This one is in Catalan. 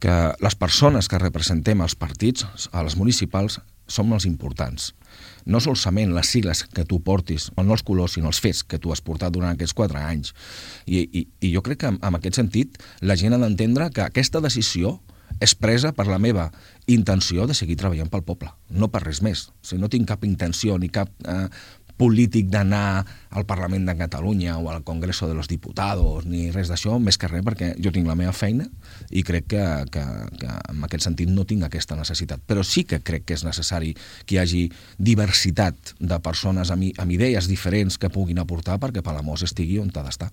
que les persones que representem els partits, a les municipals, som els importants. No solament les sigles que tu portis, o no els colors, sinó els fets que tu has portat durant aquests 4 anys. I jo crec que en aquest sentit la gent ha d'entendre que aquesta decisió és presa per la meva intenció de seguir treballant pel poble, no per res més. O sigui, no tinc cap intenció ni cap polític d'anar al Parlament de Catalunya o al Congreso de los Diputados ni res d'això, més que res perquè jo tinc la meva feina i crec que en aquest sentit no tinc aquesta necessitat. Però sí que crec que és necessari que hi hagi diversitat de persones amb idees diferents que puguin aportar perquè Palamós estigui on ha d'estar.